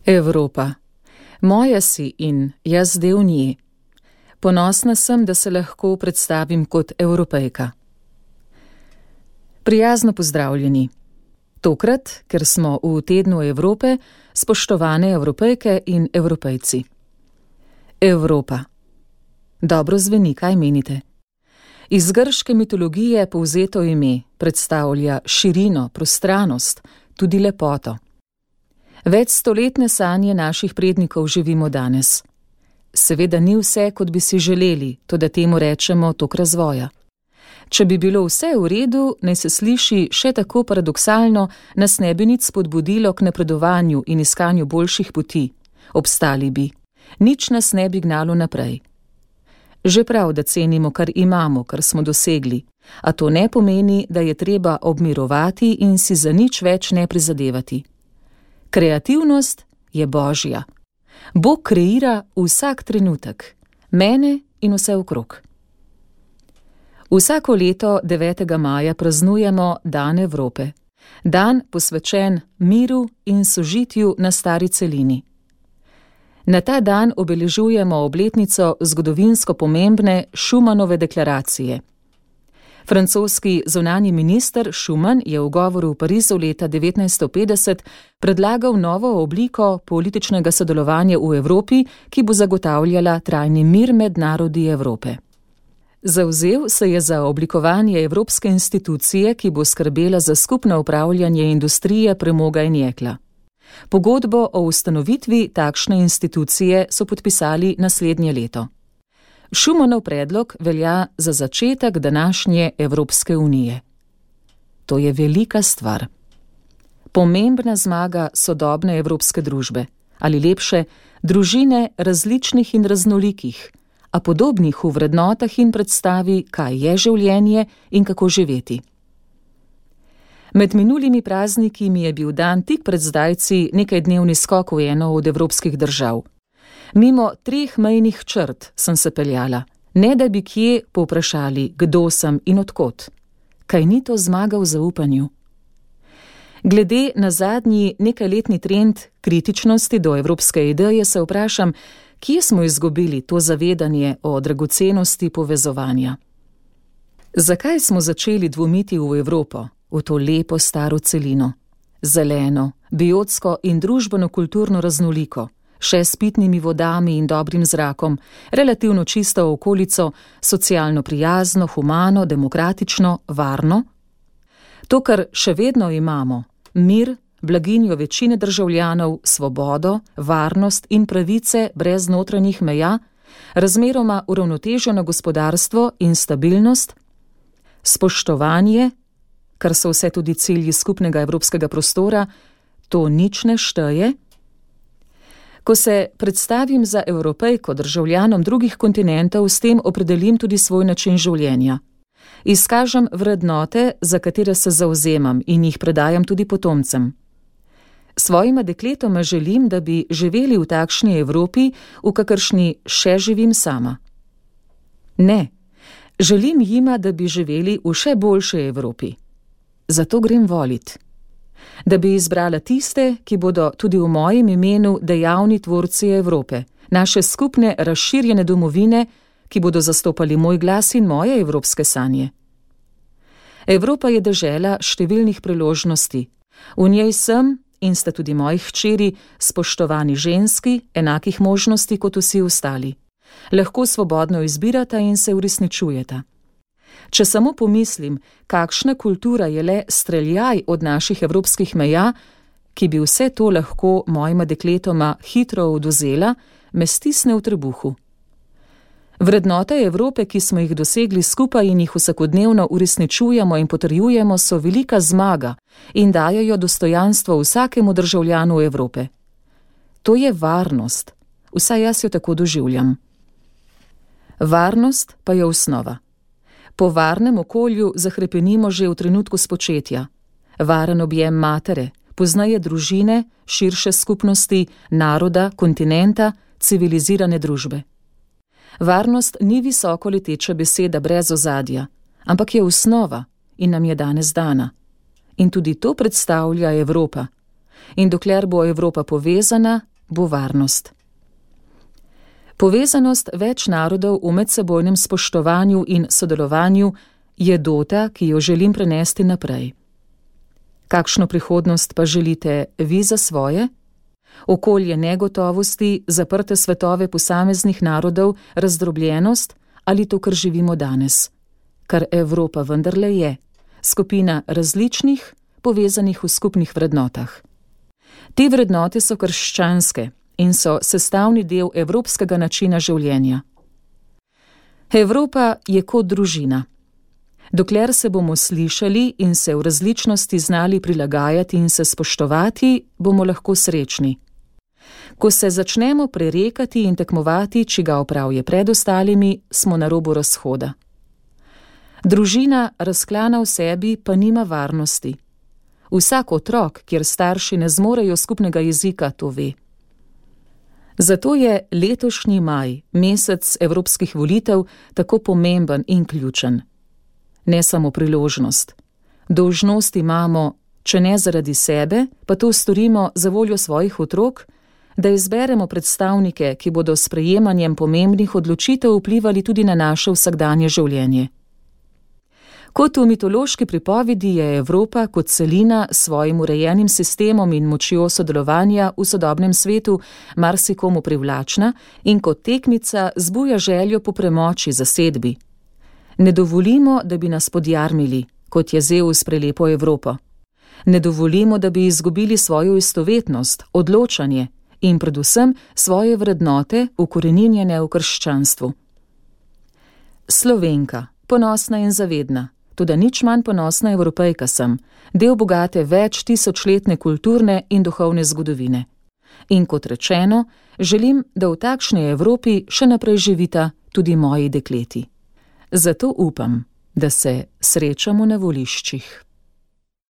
Evropa. Moja si in jaz del nje. Ponosna sem, da se lahko predstavim kot Evropejka. Prijazno pozdravljeni. Tokrat, ker smo v tednu Evrope, spoštovane Evropejke in Evropejci. Evropa. Dobro zveni, kaj menite? Iz grške mitologije povzeto ime predstavlja širino, prostranost, tudi lepoto. Večstoletne sanje naših prednikov živimo danes. Seveda ni vse, kot bi si želeli, toda temu rečemo tok razvoja. Če bi bilo vse v redu, naj se sliši še tako paradoksalno, nas ne bi nič spodbudilo k napredovanju in iskanju boljših poti. Obstali bi. Nič nas ne bi gnalo naprej. Že prav, da cenimo, kar imamo, kar smo dosegli, a to ne pomeni, da je treba obmirovati in si za nič več ne prizadevati. Kreativnost je božja. Bog kreira vsak trenutek, mene in vse okrog. Vsako leto 9. maja praznujemo Dan Evrope. Dan posvečen miru in sožitju na stari celini. Na ta dan obeležujemo obletnico zgodovinsko pomembne Schumanove deklaracije. Francoski zunanji minister Schuman je v govoru v Parizu leta 1950 predlagal novo obliko političnega sodelovanja v Evropi, ki bo zagotavljala trajni mir med narodi Evrope. Zavzel se je za oblikovanje evropske institucije, ki bo skrbela za skupno upravljanje industrije premoga in jekla. Pogodbo o ustanovitvi takšne institucije so podpisali naslednje leto. Schumanov predlog velja za začetek današnje Evropske unije. To je velika stvar. Pomembna zmaga sodobne evropske družbe, ali lepše, družine različnih in raznolikih, a podobnih v vrednotah in predstavi, kaj je življenje in kako živeti. Med minulimi prazniki mi je bil dan tik pred zdajci nekajdnevni skok v eno od evropskih držav. Mimo 3 mejnih črt sem se peljala, ne da bi kje povprašali, kdo sem in odkot. Kaj ni to zmaga v zaupanju? Glede na zadnji nekajletni trend kritičnosti do evropske ideje se vprašam, kje smo izgubili to zavedanje o dragocenosti povezovanja. Zakaj smo začeli dvomiti v Evropo, v to lepo staro celino? Zeleno, biotsko in družbeno-kulturno raznoliko, še s pitnimi vodami in dobrim zrakom, relativno čisto okolico, socialno prijazno, humano, demokratično, varno. To, kar še vedno imamo, mir, blaginjo večine državljanov, svobodo, varnost in pravice brez notranjih meja, razmeroma uravnoteženo gospodarstvo in stabilnost, spoštovanje, kar so vse tudi cilji skupnega evropskega prostora, to nič ne šteje. Ko se predstavim za Evropejko državljanom drugih kontinentov, s tem opredelim tudi svoj način življenja. Izkažem vrednote, za katere se zavzemam in jih predajam tudi potomcem. Svojima dekletoma želim, da bi živeli v takšni Evropi, v kakršni še živim sama. Ne, želim jima, da bi živeli v še boljši Evropi. Zato grem volit. Da bi izbrala tiste, ki bodo tudi v mojem imenu dejavni tvorci Evrope, naše skupne razširjene domovine, ki bodo zastopali moj glas in moje evropske sanje. Evropa je dežela številnih priložnosti. V njej sem in sta tudi moji hčeri spoštovani ženski, enakih možnosti kot vsi ostali. Lahko svobodno izbirata in se uresničujeta. Če samo pomislim, kakšna kultura je le streljaj od naših evropskih meja, ki bi vse to lahko mojima dekletoma hitro odvzela, me stisne v trebuhu. Vrednote Evrope, ki smo jih dosegli skupaj in jih vsakodnevno uresničujemo in potrjujemo, so velika zmaga in dajejo dostojanstvo vsakemu državljanu Evrope. To je varnost, vsaj jaz jo tako doživljam. Varnost pa je osnova. Po varnem okolju zahrepenimo že v trenutku spočetja. Varen objem matere, poznaje družine, širše skupnosti, naroda, kontinenta, civilizirane družbe. Varnost ni visoko leteča beseda brez ozadja, ampak je osnova in nam je danes dana. In tudi to predstavlja Evropa. In dokler bo Evropa povezana, bo varnost. Povezanost več narodov v medsebojnem spoštovanju in sodelovanju je dota, ki jo želim prenesti naprej. Kakšno prihodnost pa želite vi za svoje? Okolje negotovosti, zaprte svetove posameznih narodov, razdrobljenost ali to, kar živimo danes? Kar Evropa vendarle je, skupina različnih, povezanih v skupnih vrednotah. Te vrednote so krščanske in so sestavni del evropskega načina življenja. Evropa je kot družina. Dokler se bomo slišali in se v različnosti znali prilagajati in se spoštovati, bomo lahko srečni. Ko se začnemo prerekati in tekmovati, čigav prav je pred ostalimi, smo na robu razhoda. Družina, razklana v sebi, pa nima varnosti. Vsak otrok, kjer starši ne zmorejo skupnega jezika, to ve. Zato je letošnji maj, mesec evropskih volitev, tako pomemben in ključen. Ne samo priložnost. Dolžnost imamo, če ne zaradi sebe, pa to storimo za voljo svojih otrok, da izberemo predstavnike, ki bodo s sprejemanjem pomembnih odločitev vplivali tudi na naše vsakdanje življenje. Kot v mitološki pripovedi je Evropa kot celina s svojim urejenim sistemom in močjo sodelovanja v sodobnem svetu marsikomu privlačna in kot tekmica zbuja željo po premoči, zasedbi. Ne dovolimo, da bi nas podjarmili, kot je Zeus prelepo Evropo. Ne dovolimo, da bi izgubili svojo istovetnost, odločanje in predvsem svoje vrednote ukoreninjene v krščanstvu. Slovenka, ponosna in zavedna, toda nič manj ponosna Evropejka sem, del bogate več tisočletne kulturne in duhovne zgodovine. In kot rečeno, želim, da v takšni Evropi še naprej živita tudi moji dekleti. Zato upam, da se srečamo na voliščih.